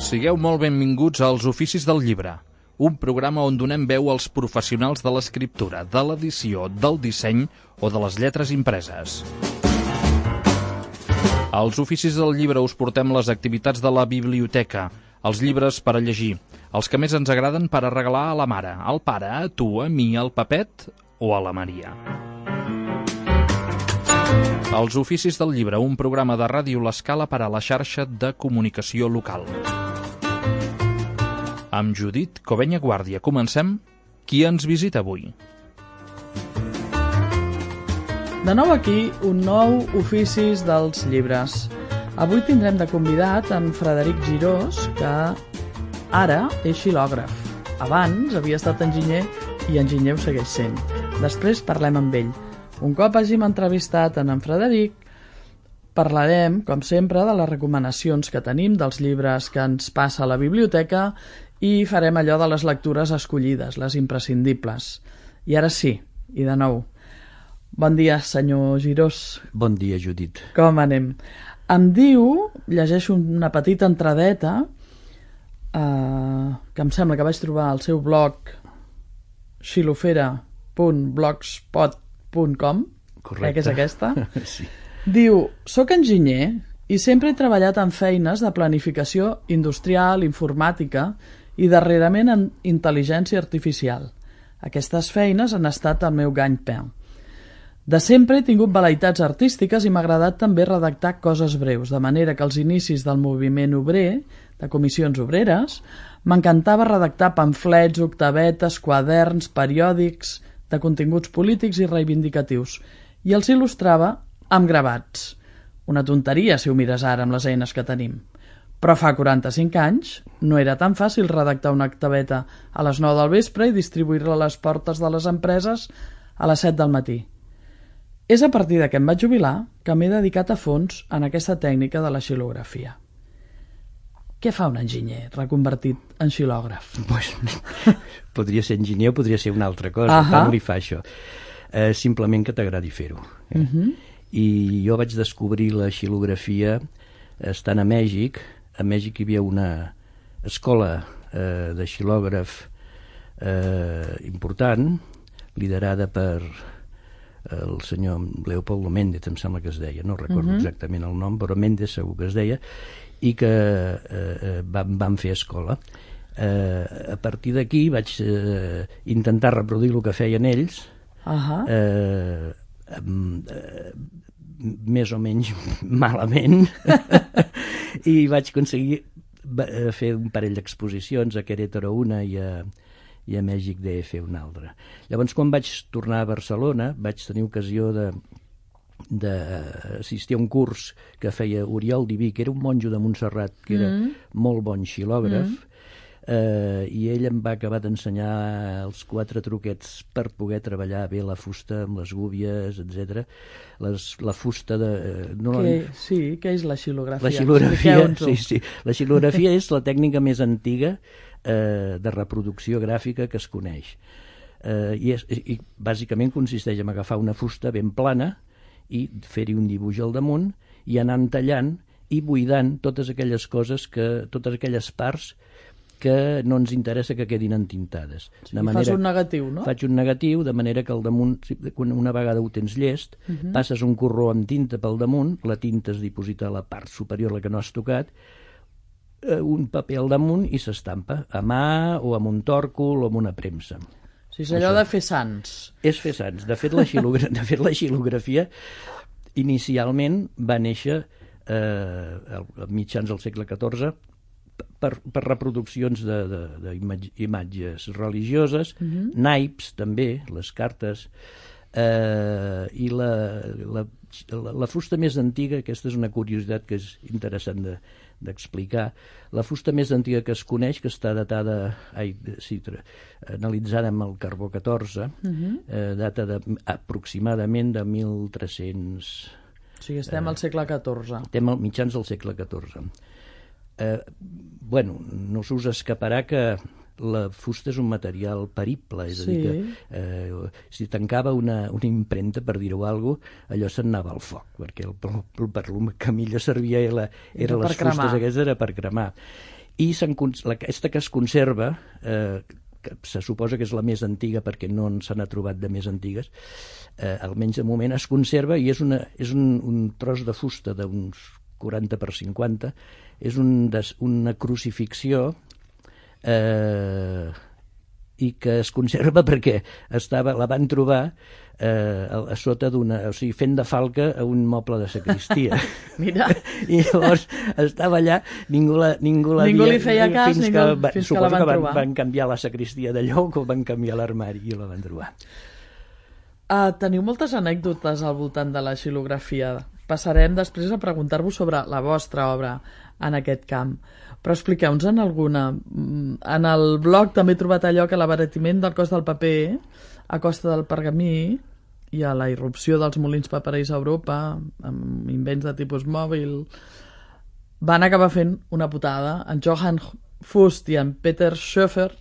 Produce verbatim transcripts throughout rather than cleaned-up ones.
Sigueu molt benvinguts als Oficis del Llibre, un programa on donem veu als professionals de l'escriptura, de l'edició, del disseny o de les lletres impreses. Als Oficis del Llibre us portem les activitats de la biblioteca, els llibres per a llegir, els que més ens agraden per a regalar a la mare, al pare, a tu, a mi, al Pepet o a la Maria. Els Oficis del Llibre, un programa de Ràdio L'Escala per a la xarxa de comunicació local. Amb Judit Covenya Guàrdia comencem. Qui ens visita avui? De nou aquí, un nou Oficis dels Llibres. Avui tindrem de convidat en Frederic Girós, que ara és xilògraf. Abans havia estat enginyer i enginyer ho segueix sent. Després parlem amb ell. Un cop hàgim entrevistat en en Frederic, parlarem, com sempre, de les recomanacions que tenim, dels llibres que ens passa a la biblioteca i farem allò de les lectures escollides, les imprescindibles. I ara sí, i de nou. Bon dia, senyor Girós. Bon dia, Judit. Com anem? Em diu, llegeixo una petita entradeta, eh, que em sembla que vaig trobar al seu blog xilofera punt blogspot punt com, correcte, que és aquesta. Sí. Diu, soc enginyer i sempre he treballat en feines de planificació industrial, informàtica i darrerament en intel·ligència artificial. Aquestes feines han estat el meu ganj-pain. De sempre he tingut velleïtats artístiques i m'ha agradat també redactar coses breus, de manera que als inicis del moviment obrer, de comissions obreres, m'encantava redactar pamflets, octavetes, quaderns, periòdics de continguts polítics i reivindicatius, i els il·lustrava amb gravats. Una tonteria si ho mires ara amb les eines que tenim. Però fa quaranta-cinc anys no era tan fàcil redactar una octaveta a les nou del vespre i distribuir-la a les portes de les empreses a les set del matí. És a partir de que em vaig jubilar que m'he dedicat a fons en aquesta tècnica de la xilografia. Què fa un enginyer reconvertit en xilògraf? Pues, podria ser enginyer o podria ser una altra cosa, uh-huh. Tant li fa això. Eh, simplement que t'agradi fer-ho. Eh? Uh-huh. I jo vaig descobrir la xilografia estant a Mèxic. A Mèxic hi havia una escola eh, de xilògraf eh, important, liderada per el senyor Leopoldo Méndez, em sembla que es deia, no recordo uh-huh. exactament el nom, però Méndez segur que es deia, i que eh, van, van fer escola. Eh, a partir d'aquí vaig eh, intentar reproduir el que feien ells, uh-huh. eh, eh, més o menys malament, i vaig aconseguir fer un parell d'exposicions, a Querétaro una i a, i a Mèxic de fer una altra. Llavors, quan vaig tornar a Barcelona, vaig tenir ocasió de d'assistir a un curs que feia Oriol Diví, que era un monjo de Montserrat, que era mm. molt bon xilògraf, mm. eh, i ell em va acabar d'ensenyar els quatre truquets per poder treballar bé la fusta amb les gúbies, etcètera. Les, la fusta de... Eh, no que, sí, què és la xilografia? La xilografia, sí, sí. La xilografia és la tècnica més antiga eh, de reproducció gràfica que es coneix. Eh, i, és, i bàsicament consisteix en agafar una fusta ben plana i fer-hi un dibuix al damunt i anar tallant i buidant totes aquelles coses, que, totes aquelles parts que no ens interessa que quedin entintades. Sí, de manera, fas un negatiu, no? Faig un negatiu, de manera que al damunt, una vegada ho tens llest, uh-huh. passes un corró amb tinta pel damunt, la tinta es diposita a la part superior, la que no has tocat, un paper al damunt i s'estampa, a mà o amb un tòrcol o amb una premsa. O sigui, és allò de fer sants. És fer sants. De fet, la, xilogra... de fet, la xilografia inicialment va néixer eh, a mitjans del segle catorze per, per reproduccions d'imatges religioses, uh-huh. naips també, les cartes, eh, i la, la, la, la fusta més antiga, aquesta és una curiositat que és interessant de, d'explicar, la fusta més antiga que es coneix, que està datada, ai, sí, analitzada amb el carbó catorze, uh-huh. eh, data de, aproximadament de mil tres-cents... O sigui, estem eh, al segle catorze. Estem al mitjans del segle catorze. Eh, bueno, no s'us escaparà que la fusta és un material perible, és sí. a dir que eh, si tancava una, una impremta, per dir-ho alguna cosa, allò se'n anava al foc, perquè el, el, per el que millor servia era, era les fustes aquestes era per cremar. i aquesta que es conserva, eh, que se suposa que és la més antiga perquè no se n'ha trobat de més antigues, eh, almenys de moment es conserva, i és, una, és un, un tros de fusta d'uns quaranta per cinquanta, és un des, una crucifixió eh, i que es conserva perquè estava, la van trobar eh, a, a sota d'una, o sigui, fent de falca a un moble de sacristia. Mira. I llavors estava allà, ningú la, ningú la ningú dia, li feia cas, fins ningú, que, va, fins suposo que la van que van, trobar. van canviar la sacristia de lloc o van canviar l'armari i la van trobar. Uh, teniu moltes anècdotes al voltant de la xilografia. Passarem després a preguntar-vos sobre la vostra obra en aquest camp. Però expliqueu-nos en alguna. En el blog també he trobat allò que l'abaratiment del cost del paper a costa del pergamí i a la irrupció dels molins paperers a Europa, amb invents de tipus mòbil, van acabar fent una putada. En Johann Fust i en Peter Schoeffer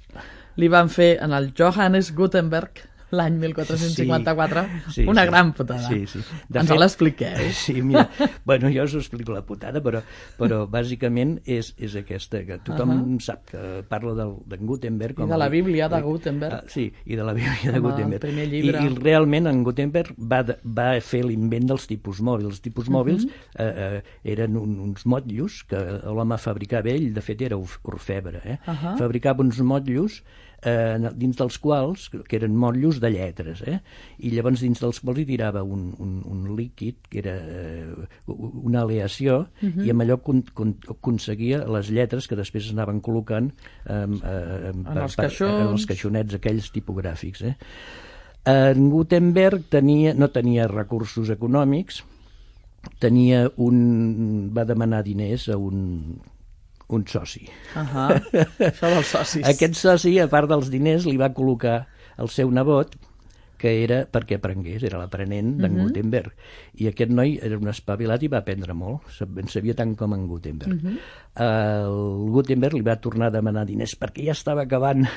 li van fer en el Johannes Gutenberg l'any mil quatre-cents cinquanta-quatre, sí, sí, una sí, gran putada. Sí, sí. Ens fet, l'expliqueu. Sí, mira, bueno, jo us explico la putada, però, però bàsicament és, és aquesta, que tothom uh -huh. sap que parla del, de Gutenberg. Com I de la el, Bíblia de Gutenberg. Uh, sí, i de la Bíblia de Gutenberg. El primer llibre. I, I realment en Gutenberg va, va fer l'invent dels tipus mòbils. Els tipus mòbils uh -huh. eh, eh, eren un, uns motllos que l'home fabricava ell, de fet era orfebre, eh? uh -huh. fabricava uns motllos Eh, dins dels quals, que eren motllos de lletres, eh? I llavors dins dels quals hi tirava un, un, un líquid que era eh, una aleació, uh -huh. i amb allò con, con, aconseguia les lletres que després anaven col·locant eh, eh, en, per, els per, en els caixonets aquells tipogràfics. Eh? En Gutenberg tenia, no tenia recursos econòmics, tenia un, va demanar diners a un un soci. Uh -huh. Això dels socis. Aquest soci, a part dels diners, li va col·locar el seu nebot, que era perquè aprengués, era l'aprenent d'en uh -huh. Gutenberg. I aquest noi era un espavilat i va aprendre molt, en sabia tant com en Gutenberg. Uh -huh. El Gutenberg li va tornar a demanar diners perquè ja estava acabant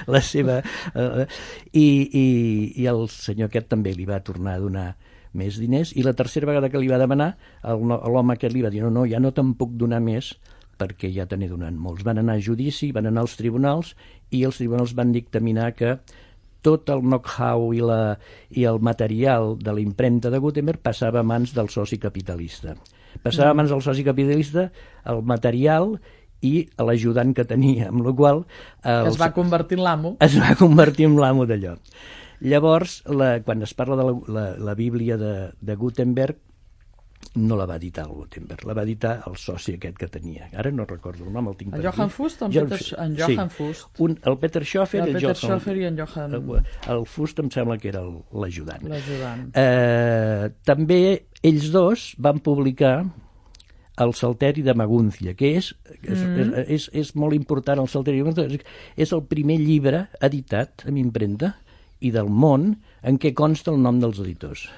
la seva... Uh, i, i, I el senyor aquest també li va tornar a donar més diners, i la tercera vegada que li va demanar, l'home aquest li va dir no, no, ja no te'n puc donar més, perquè ja te n'he donat molts. Van anar a judici, van anar als tribunals, i els tribunals van dictaminar que tot el know-how i, la, i el material de la impremta de Gutenberg passava a mans del soci capitalista. Passava a mans del soci capitalista el material i l'ajudant que tenia, amb la qual cosa... Que es va convertir en l'amo. Es va convertir en l'amo d'allò. Llavors, la, quan es parla de la, la, la Bíblia de, de Gutenberg, no la va editar el Gutenberg, la va editar el soci aquest que tenia. Ara no recordo el nom, el tinc per aquí. En Johann Fust o en Peter, en Johann sí. Fust? Un, el Peter Schoeffer, el, el Peter Johann, Schoeffer i en Johann... El, el Fust em sembla que era l'ajudant. L'ajudant. Eh, també ells dos van publicar el Salteri de Maguncia, que és, mm. és, és, és molt important. El Salteri de Maguncia és el primer llibre editat amb impremta i del món en què consta el nom dels editors.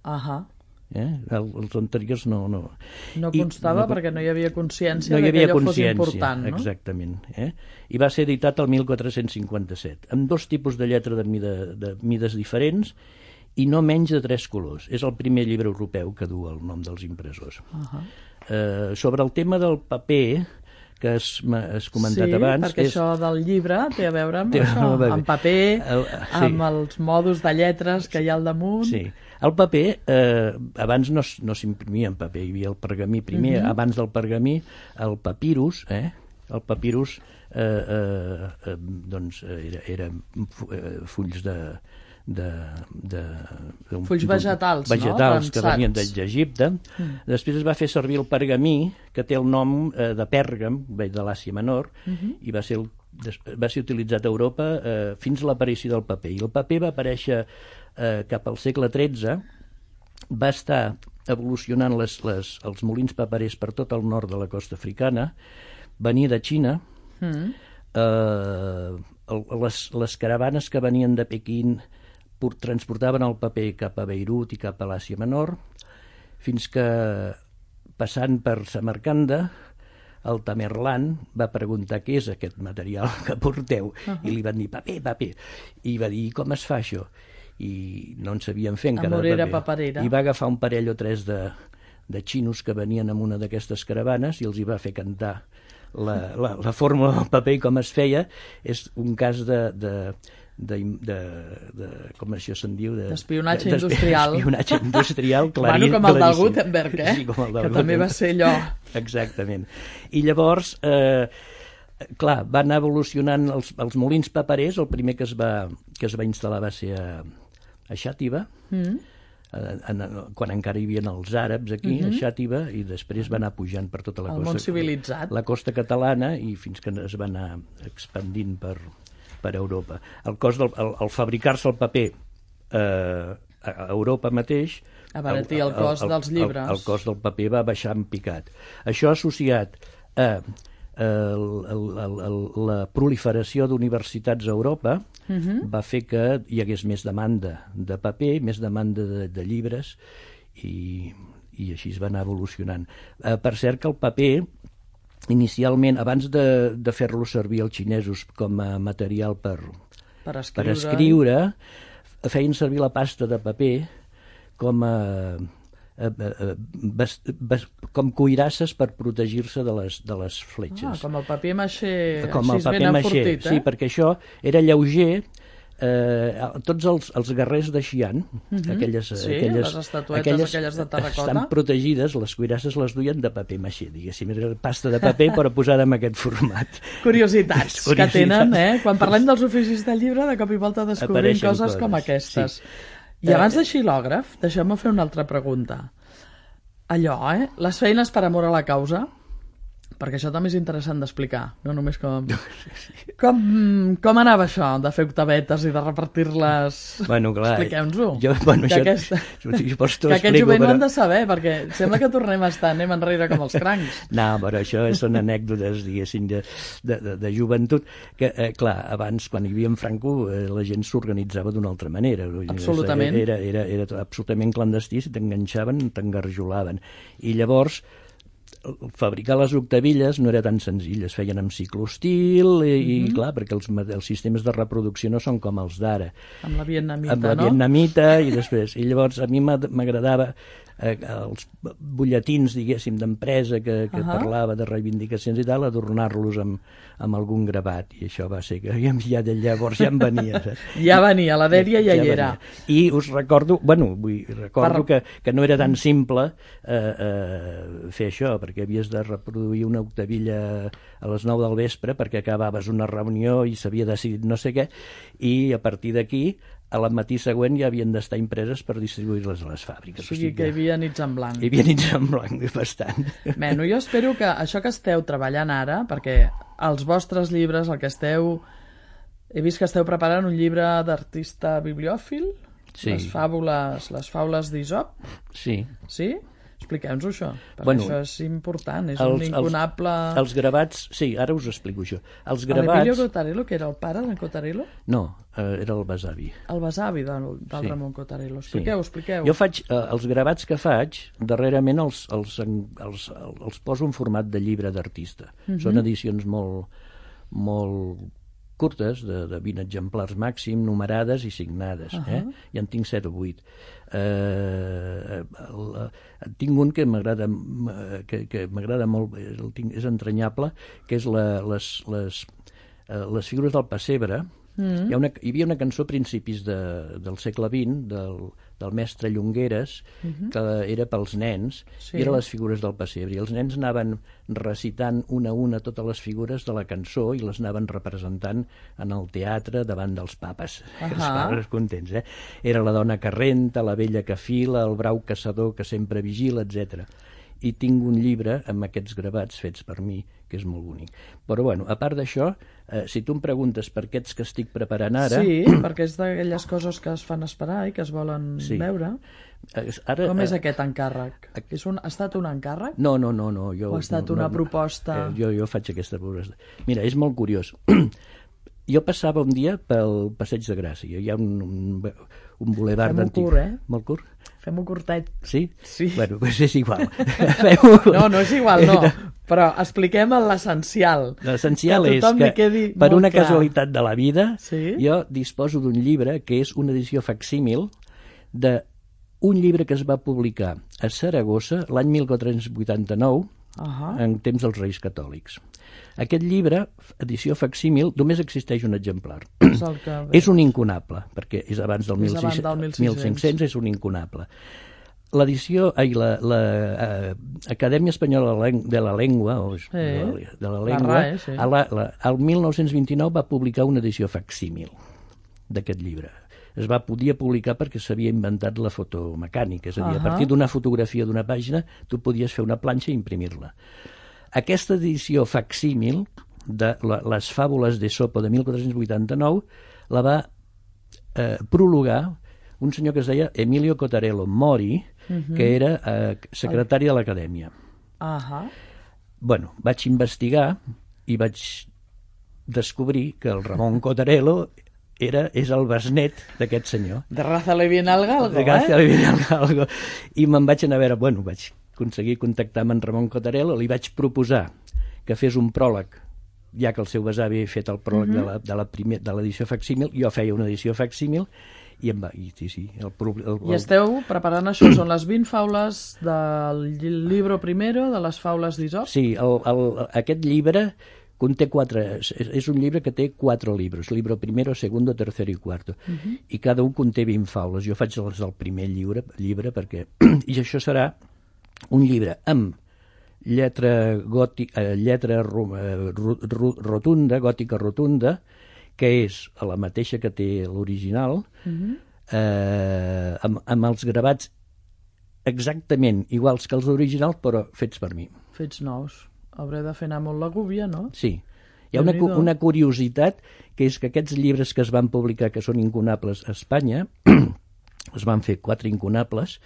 Ahà. Eh? El, els anteriors no... No, no constava I, no, perquè no hi havia consciència no hi havia que allò consciència, fos important, no? Exactament. Eh? I va ser editat el mil quatre-cents cinquanta-set, amb dos tipus de lletra de, mida, de mides diferents i no menys de tres colors. És el primer llibre europeu que du el nom dels impressors. Uh -huh. eh, sobre el tema del paper, que has, has comentat sí, abans... Sí, perquè és... això del llibre té a veure amb això, amb paper, el, sí. amb els mòduls de lletres que hi ha al damunt... Sí. El paper, eh, abans no, no s'imprimia en paper, hi havia el pergamí primer, uh -huh. abans del pergamí, el papirus, eh? El papirus, eh, eh, eh, doncs, era, era fulls de... de, de, de fulls vegetals, vegetals no? que venien d'Egipte. Mm. Després es va fer servir el pergamí, que té el nom eh, de Pèrgam, de l'Àsia Menor, uh -huh. i va ser, el, va ser utilitzat a Europa eh, fins a l'aparició del paper. I el paper va aparèixer eh, cap al segle tretze, va estar evolucionant les, les, els molins paperers per tot el nord de la costa africana, venia de Xina, mm. eh, les, les caravanes que venien de Pequín transportaven el paper cap a Beirut i cap a l'Àsia Menor, fins que, passant per Samarcanda, el Tamerlán va preguntar què és aquest material que porteu, uh -huh. i li van dir paper, paper, i va dir com es fa això? I no en sabien fer encara de paper. Paperera. I va agafar un parell o tres de, de xinos que venien amb una d'aquestes caravanes i els hi va fer cantar la, la, la fórmula del paper i com es feia és un cas de... de De, de, de, com això se'n diu? D'espionatge industrial. D'espionatge industrial, claríssim. Bueno, com el del Gutenberg, eh? Sí, com el del que també va ser allò. Exactament. I llavors, eh, clar, van anar evolucionant els, els molins paperers. El primer que es va, que es va instal·lar va ser a, a Xàtiva, mm. en, en, quan encara hi havia els àrabs aquí, mm-hmm. a Xàtiva, i després va anar pujant per tota la el costa. El món civilitzat. La costa catalana, i fins que es va anar expandint per... per Europa. El cost del el, el fabricar-se el paper eh, a Europa mateix abaratir el, el cost el, el, dels llibres. El, el cost del paper va baixar en picat. Això associat a, a el, el, el, la proliferació d'universitats a Europa uh-huh. va fer que hi hagués més demanda de paper, més demanda de, de llibres i, i així es va anar evolucionant. Eh, per cert que el paper inicialment, abans de, de fer-lo servir els xinesos com a material per, per, escriure. per escriure, feien servir la pasta de paper com a, a, a, a bas, bas, com cuirasses per protegir-se de les, de les fletxes. Ah, com el paper maixé, com així ben enfortit, eh? Sí, perquè això era lleuger. Eh, tots els, els guerrers de Xi'an, uh-huh. aquelles, sí, aquelles, les estatuetes aquelles, aquelles de terracota, estan protegides, les cuirasses les duien de paper maixé, diguéssim, era pasta de paper però posada en aquest format. Curiositats, Curiositats que tenen, eh? Quan parlem dels oficis del llibre, de cop i volta descobrim Apareixen coses, coses com aquestes. Sí. I abans de xilògraf, deixeu-me fer una altra pregunta. Allò, eh? Les feines per amor a la causa, perquè això també és interessant d'explicar, no només com... Com, com anava això, de fer octavetes i de repartir-les? Bueno, clar... Expliqueu-nos-ho. Jo, bueno, que això... aquesta... que aquest jovent però... ho han de saber, perquè sembla que tornem a estar, anem enrere com els crancs. No, però això són anècdotes, diguéssim, de, de, de, de joventut, que, eh, clar, abans, quan hi havia en Franco, eh, la gent s'organitzava d'una altra manera. Absolutament. Era, era, era absolutament clandestí, si t'enganxaven, t'engarjolaven. I llavors... fabricar les octavilles no era tan senzill, es feien amb ciclostil i, mm-hmm. i clar, perquè els, els sistemes de reproducció no són com els d'ara. Amb la vietnamita, amb la no? vietnamita i després. I llavors a mi m'agradava eh, els butlletins, diguéssim, d'empresa que, que uh-huh. parlava de reivindicacions i tal, adornar-los amb, amb algun gravat, i això va ser que ja de llavors ja em venia. Saps? Ja venia, la dèria ja, ja hi era. Venia. I us recordo, bueno, vull, recordo per... que, que no era tan simple eh, eh, fer això, perquè havies de reproduir una octavilla a les nou del vespre perquè acabaves una reunió i s'havia decidit no sé què, i a partir d'aquí a la matí següent ja havien d'estar impreses per distribuir-les a les fàbriques. O sigui, o sigui que hi havia nits en blanc. Hi havia nits en blanc, bastant. Bueno, jo espero que això que esteu treballant ara, perquè els vostres llibres, el que esteu... He vist que esteu preparant un llibre d'artista bibliòfil, sí. les fàbules, les faules d'Isop. Sí. Sí? Expliqueu-nos això, perquè bueno, això és important, és els, un incunable... Els, els gravats, sí, ara us explico això. Els gravats... L'Emilio Cotarello, que era el pare d'en Cotarello? No, eh, era el besavi. El besavi del, del sí. Ramon Cotarello. Expliqueu, sí. expliqueu. Jo faig, eh, els gravats que faig, darrerament els, els, els, els, els poso en format de llibre d'artista. Uh-huh. Són edicions molt, molt curtes, de, de vint exemplars màxim, numerades i signades. Uh-huh. eh? Ja en tinc set o vuit. Eh, el, tinc un que m'agrada que, que m'agrada molt, el tinc, és entranyable, que és la, les, les, les figures del pessebre. Mm. Hi, ha una, hi havia una cançó a principis de, del segle vint del, del mestre Llongueres, mm-hmm. que era pels nens, sí. i eren les figures del pessebre, i els nens anaven recitant una a una totes les figures de la cançó i les anaven representant en el teatre davant dels papes. Uh-huh. Els pares contents, eh? Era la dona que renta, la vella que fila, el brau caçador que sempre vigila, etcètera. I tinc un llibre amb aquests gravats fets per mi, que és molt bonic. Però, bueno, a part d'això, eh, si tu em preguntes per aquests que estic preparant ara... Sí, perquè és d'aquelles coses que es fan esperar i que es volen sí. veure. Ara, Com és eh, aquest encàrrec? És un, ha estat un encàrrec? No, no, no. no jo, o ha estat no, una no, proposta? Eh, jo, jo faig aquesta proposta. Mira, és molt curiós. Jo passava un dia pel Passeig de Gràcia. Hi ha un, un, un bulevard d'antic. Fem-ho curt, eh? Molt curt? Fem-ho curtet. Sí? Sí. Bueno, doncs és igual. No, no és igual, no. Però expliquem l'essencial. L'essencial és que, per una clar. casualitat de la vida, sí? jo disposo d'un llibre que és una edició facsímil d'un llibre que es va publicar a Saragossa l'any mil quatre-cents vuitanta-nou, uh-huh. en temps dels Reis Catòlics. Aquest llibre, edició facsímil, només existeix un exemplar. És, el que... és un incunable, perquè és abans del és abans del mil cinc-cents, és un incunable. L'edició, ai, la, la uh, Acadèmia Espanyola de la Llengua, o, sí. de, la, de la Llengua, la R A E, sí. a la, la, al mil nou-cents vint-i-nou va publicar una edició facsímil d'aquest llibre. Es va podia publicar perquè s'havia inventat la fotomecànica, és a dir, uh-huh. a partir d'una fotografia d'una pàgina tu podies fer una planxa i imprimir-la. Aquesta edició facsímil de la, les fàbules d'Esopo de mil quatre-cents vuitanta-nou la va eh, prologar un senyor que es deia Emilio Cotarello Mori, uh-huh. que era eh, secretari de l'Acadèmia. Uh-huh. Bueno, vaig investigar i vaig descobrir que el Ramon Cotarello era, és el besnet d'aquest senyor. De raza le viene al galgo, de raza eh? le viene al galgo. I me'n vaig anar a veure, bueno, vaig aconseguir contactar amb en Ramon Cotarello, li vaig proposar que fes un pròleg, ja que el seu besavi havia fet el pròleg uh-huh. de la, de la primer, de l'edició facsímil, jo feia una edició facsímil, i em va... I, sí, sí, el, el, el, I esteu preparant això, són les vint faules del llibre primero, de les faules d'Isop? Sí, el, el, aquest llibre conté quatre... És, és un llibre que té quatre llibres, libro primero, segundo, tercero i cuarto, uh-huh. i cada un conté vint faules. Jo faig les del primer llibre, llibre perquè... I això serà un llibre amb lletra, gòtica, lletra rotunda, gòtica rotunda, que és la mateixa que té l'original, uh-huh. eh, amb, amb els gravats exactament iguals que els originals, però fets per mi. Fets nous. Hauré de fer anar molt la gúbia, no? Sí. Hi ha una, una curiositat, que és que aquests llibres que es van publicar, que són incunables a Espanya, es van fer quatre incunables,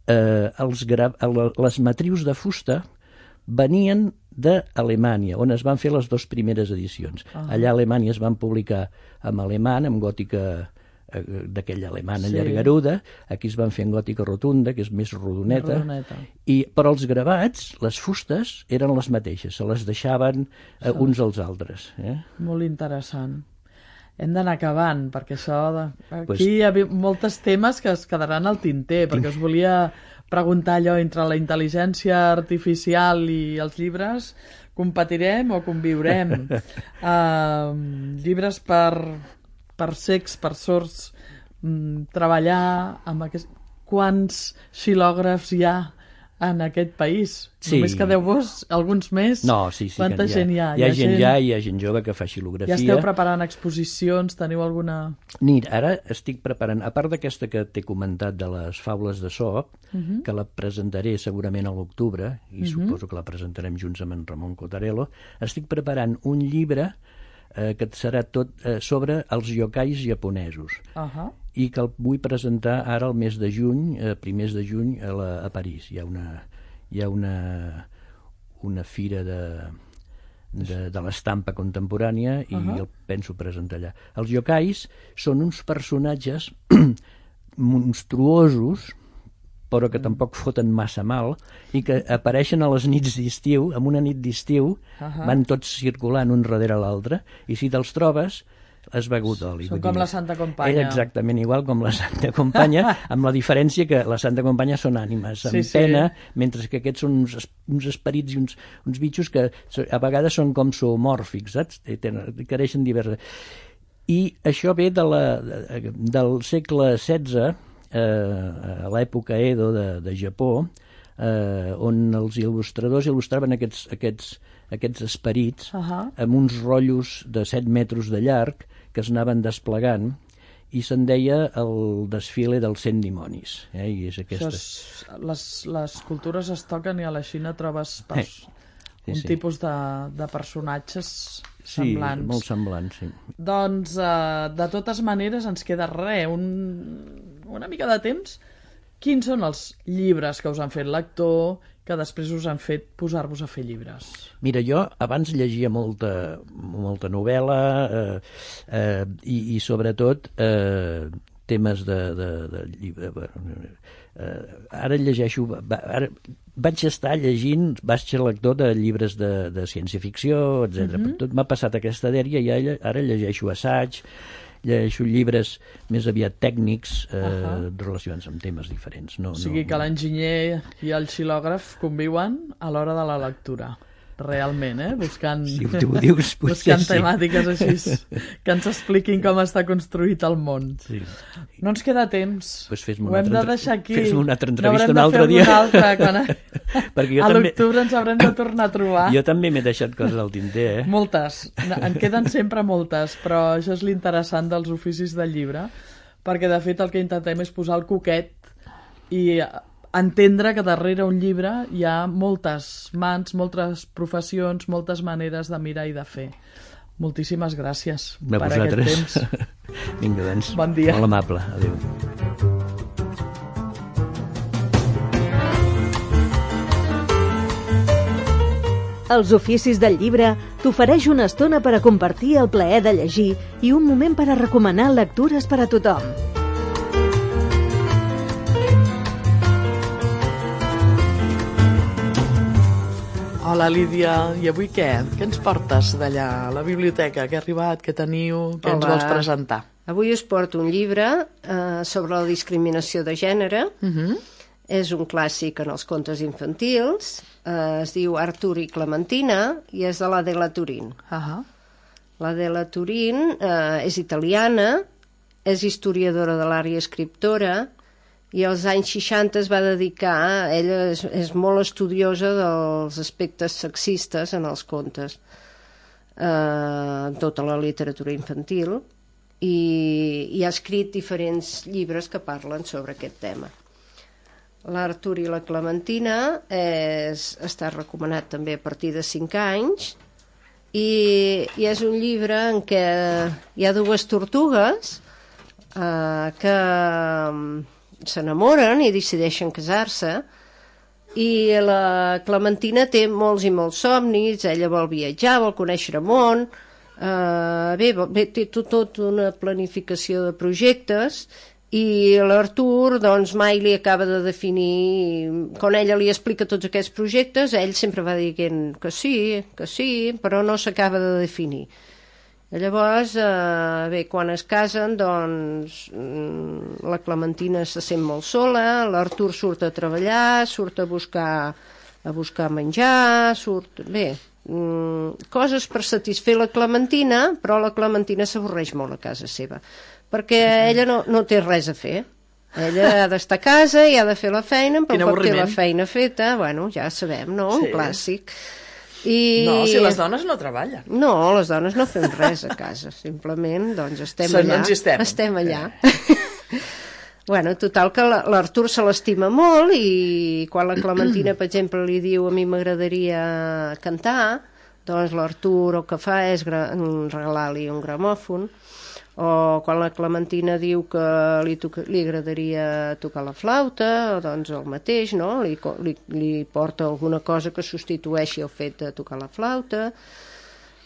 eh, els gra... les matrius de fusta venien d'Alemanya, on es van fer les dues primeres edicions. Ah. Allà a Alemanya es van publicar en alemany, amb gòtica eh, d'aquella alemana sí. llargaruda, aquí es van fer en gòtica rotunda, que és més rodoneta, rodoneta. I, però els gravats, les fustes, eren les mateixes, se les deixaven eh, uns als altres. Eh? Molt interessant. Hem d'anar acabant, perquè això... De... Aquí pues... hi ha molts temes que es quedaran al tinter, perquè us volia preguntar allò entre la intel·ligència artificial i els llibres, competirem o conviurem? uh, llibres per, per cecs, per sords, um, treballar amb aquest... Quants xilògrafs hi ha en aquest país? Sí. Només quedeu-vos alguns més? No, sí, sí. Quanta gent hi ha? Hi ha, hi ha gent ja, hi ha gent jove que fa xilografia. Ja esteu preparant exposicions? Teniu alguna... Mira, ara estic preparant, a part d'aquesta que t'he comentat de les faules de Sop, uh-huh. que la presentaré segurament a l'octubre, i uh-huh. suposo que la presentarem junts amb en Ramon Cotarello, estic preparant un llibre eh, que serà tot eh, sobre els yokais japonesos. Uh-huh. I que el vull presentar ara al mes de juny, eh, primers de juny, a, la, a París. Hi ha una, hi ha una, una fira de, de, de l'estampa contemporània i uh-huh. el penso presentar allà. Els yokais són uns personatges monstruosos, però que tampoc foten massa mal, i que apareixen a les nits d'estiu, en una nit d'estiu, uh-huh. van tots circulant un darrere l'altre, i si te'ls trobes, has begut oli. Són com la Santa Companya. És exactament igual com la Santa Companya, amb la diferència que la Santa Companya són ànimes amb sí, pena, sí. mentre que aquests són uns, uns esperits i uns, uns bitxos que a vegades són com zoomòrfics, saps? Careixen diverses... I això ve de la, de, del segle setze, eh, a l'època Edo de, de Japó, eh, on els il·lustradors il·lustraven aquests, aquests, aquests esperits uh-huh. amb uns rotllos de set metres de llarg que es anaven desplegant, i se'n deia el desfile dels cent dimonis. Eh? I és aquesta... és, les, les cultures es toquen i a la Xina trobes pers... eh, sí, un sí. tipus de, de personatges semblants. Sí, molt semblants, sí. Doncs, eh, de totes maneres, ens queda res, un, una mica de temps. Quins són els llibres que us han fet lector, que després us han fet posar-vos a fer llibres? Mira, jo abans llegia molta, molta novel·la eh, eh, i, i sobretot eh, temes de, de, de llibre. Eh, ara llegeixo... Ara vaig estar llegint, vaig ser lector de llibres de, de ciència-ficció, etcètera. Uh-huh. Tot m'ha passat aquesta dèria i ara llegeixo assaig, llegeixo llibres més aviat tècnics eh, uh-huh. relacionats amb temes diferents. No, o sigui no, que l'enginyer i el xilògraf conviuen a l'hora de la lectura. Realment, eh? Buscant, si tu ho dius, buscant sí. temàtiques així que ens expliquin com està construït el món. Sí. No ens queda temps. Pues ho hem de deixar aquí. Fes-me una altra entrevista un altre dia. Una altra, quan a a també... l'octubre ens haurem de tornar a trobar. Jo també m'he deixat coses al tinter, eh? Moltes. En queden sempre moltes, però això és l'interessant dels oficis del llibre, perquè de fet el que intentem és posar el coquet i entendre que darrere un llibre hi ha moltes mans, moltes professions, moltes maneres de mirar i de fer. Moltíssimes gràcies a per vosaltres. aquest temps. Vinga, doncs. Bon dia. Molt amable. Adéu. Els oficis del llibre t'ofereix una estona per a compartir el plaer de llegir i un moment per a recomanar lectures per a tothom. Hola, Lídia. I avui què? Què ens portes d'allà a la biblioteca? Què ha arribat? Què teniu? Què ens Hola. vols presentar? Avui us porto un llibre eh, sobre la discriminació de gènere. Uh-huh. És un clàssic en els contes infantils. Eh, es diu Artur i Clementina i és de l'Adela Turin. Uh-huh. L'Adela Turin eh, és italiana, és historiadora de l'art i escriptora, i als anys seixanta es va dedicar, ella és, és molt estudiosa dels aspectes sexistes en els contes, eh, en tota la literatura infantil, i, i ha escrit diferents llibres que parlen sobre aquest tema. L'Artur i la Clementina és, està recomanat també a partir de cinc anys, i, i és un llibre en què hi ha dues tortugues eh, que s'enamoren i decideixen casar-se, i la Clementina té molts i molts somnis, ella vol viatjar, vol conèixer el món, eh, bé, bé, té tot, tot una planificació de projectes, i l'Artur doncs mai li acaba de definir, quan ella li explica tots aquests projectes, ell sempre va dient que sí, que sí, però no s'acaba de definir. Llavors, eh, bé, quan es casen, doncs, la Clementina se sent molt sola, l'Artur surt a treballar, surt a buscar, a buscar menjar, surt... Bé, mm, coses per satisfer la Clementina, però la Clementina s'avorreix molt a casa seva, perquè ella no, no té res a fer. Ella ha d'estar a casa i ha de fer la feina, però quan té la feina feta, bueno, ja sabem, no? Un sí. Clàssic. I... No, si les dones no treballen. No, les dones no fem res a casa, simplement doncs estem Són, allà. estem. Estem allà. Bueno, total que l'Artur se l'estima molt, i quan la Clementina, per exemple, li diu a mi m'agradaria cantar, doncs l'Artur el que fa és regalar-li un gramòfon, o quan la Clementina diu que li, li agradaria tocar la flauta, doncs el mateix, no? Li, li, li porta alguna cosa que substitueixi el fet de tocar la flauta.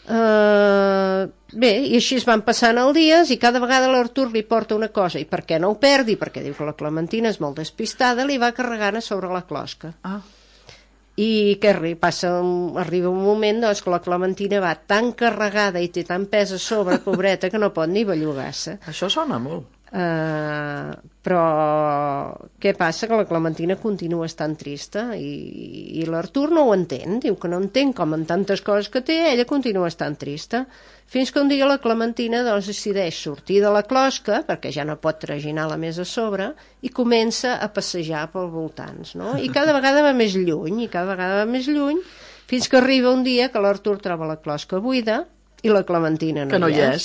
Uh, bé, i així es van passant els dies, i cada vegada l'Artur li porta una cosa, i perquè no ho perdi, perquè diu que la Clementina és molt despistada, li va carregant a sobre la closca. Ah. I què passa? Arriba un moment doncs, que la Clementina va tan carregada i té tan pes a sobre, pobreta, que no pot ni bellugar-se. Això sona molt. Uh, però què passa? Que la Clementina continua estant trista, i, i l'Artur no ho entén, diu que no entén com en tantes coses que té, ella continua estant trista, fins que un dia la Clementina doncs, decideix sortir de la closca, perquè ja no pot traginar-la més a sobre, i comença a passejar pels voltants, no? I cada vegada va més lluny, i cada vegada va més lluny, fins que arriba un dia que l'Artur troba la closca buida, i la Clementina no, que no hi és.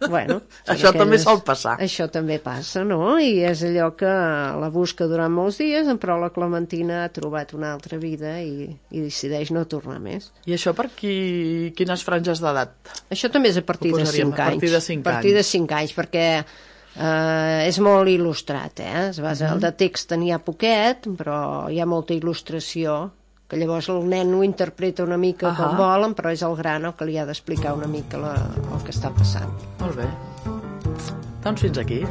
Bueno, això aquelles... també sol passar. Això també passa, no? I és allò que la busca durant molts dies, però la Clementina ha trobat una altra vida i, i decideix no tornar més. I això per qui... quines franges d'edat? Això també és a partir de cinc anys. A partir de cinc anys. A partir de cinc anys, perquè eh, és molt il·lustrat, eh? Es basa, uh-huh. El de text n'hi ha poquet, però hi ha molta il·lustració, que llavors el nen ho interpreta una mica uh-huh. com volen, però és el gran el que li ha d'explicar una mica la, el que està passant. Molt bé. Doncs fins aquí.